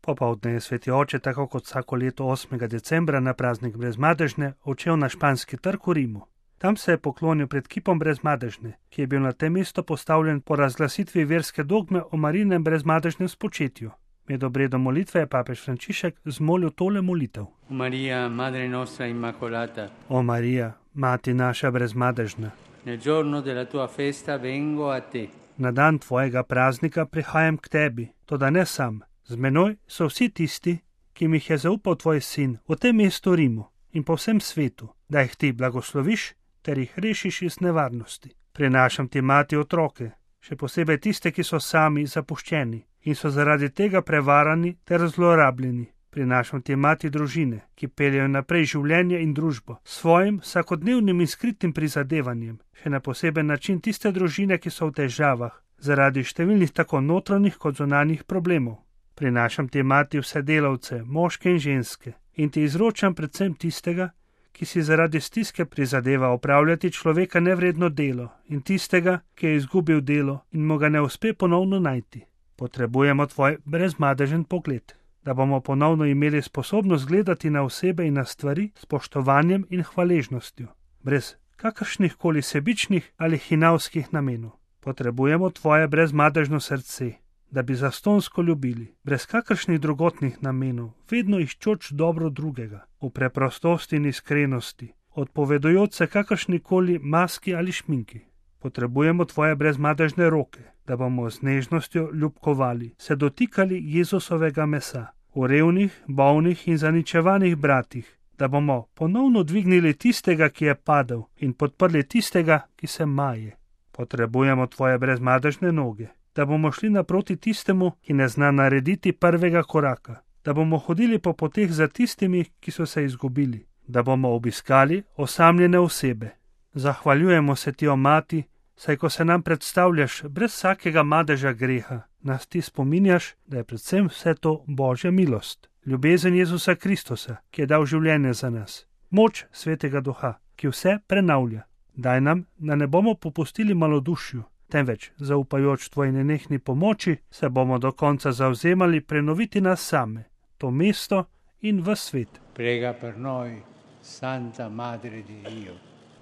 Popoldne je sveti oče, tako kot vsako leto 8. decembra na praznik Brezmadežne, odšel na Španski trg v Rimu. Tam se je poklonil pred kipom Brezmadežne, ki je bil na tem mestu postavljen po razglasitvi verske dogme o Marijinem brezmadežnem spočetju. Med obredom molitve je papež Frančišek zmolil tole molitev. Maria, Madre nostra Immacolata. O Marija, Mati naša brezmadežna. Nel giorno della tua festa vengo a te. Na dan tvojega praznika prihajam k tebi, toda ne sam. Z menoj so vsi tisti, ki mi jih je zaupal tvoj sin v tem mestu Rimu in po vsem svetu, da jih ti blagosloviš ter jih rešiš iz nevarnosti. Prinašam ti, mati, otroke, še posebej tiste, ki so sami zapuščeni in so zaradi tega prevarani ter zlorabljeni. Prinašam ti, mati, družine, ki peljejo naprej življenje in družbo s svojim vsakodnevnim in skritim prizadevanjem, še na poseben način tiste družine, ki so v težavah zaradi številnih tako notranjih kot zunanjih problemov. Prinašam ti, mati, vse delavce, moške in ženske, in ti izročam predvsem tistega, ki si zaradi stiske prizadeva opravljati človeka nevredno delo, in tistega, ki je izgubil delo in mu ga ne uspe ponovno najti. Potrebujemo tvoj brezmadežen pogled, da bomo ponovno imeli sposobnost gledati na osebe in na stvari s spoštovanjem in hvaležnostjo, brez kakršnih koli sebičnih ali hinavskih namenov. Potrebujemo tvoje brezmadežno srce, da bi zastonsko ljubili, brez kakršnih drugotnih namenov, vedno iščoč dobro drugega, v preprostosti in iskrenosti, odpovedujoč se kakršnikoli maski ali šminki. Potrebujemo tvoje brezmadežne roke, da bomo z nežnostjo ljubkovali, se dotikali Jezusovega mesa, v revnih, bolnih in zaničevanih bratih, da bomo ponovno dvignili tistega, ki je padel, in podprli tistega, ki se maje. Potrebujemo tvoje brezmadežne noge, da bomo šli naproti tistemu, ki ne zna narediti prvega koraka, da bomo hodili po poteh za tistimi, ki so se izgubili, da bomo obiskali osamljene osebe. Zahvaljujemo se ti, o mati, saj ko se nam predstavljaš brez vsakega madeža greha, nas ti spominjaš, da je predvsem vse to Božja milost, ljubezen Jezusa Kristusa, ki je dal življenje za nas, moč Svetega Duha, ki vse prenavlja. Daj nam, da ne bomo popustili malodušju, temveč, zaupajoč tvoji nenehni pomoči, se bomo do konca zavzemali prenoviti nas same, to mesto in v svet. Prega per noi, Santa Madre di Dio.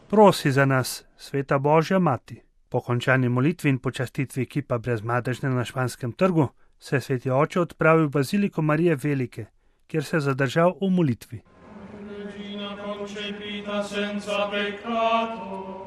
Prosi za nas, Sveta Božja Mati. Po končani molitvi in počastitvi kipa Brezmadežne na Španskem trgu se je sveti oče odpravil v baziliko Marije Velike, kjer se je zadržal v molitvi. Regina concepita senza peccato,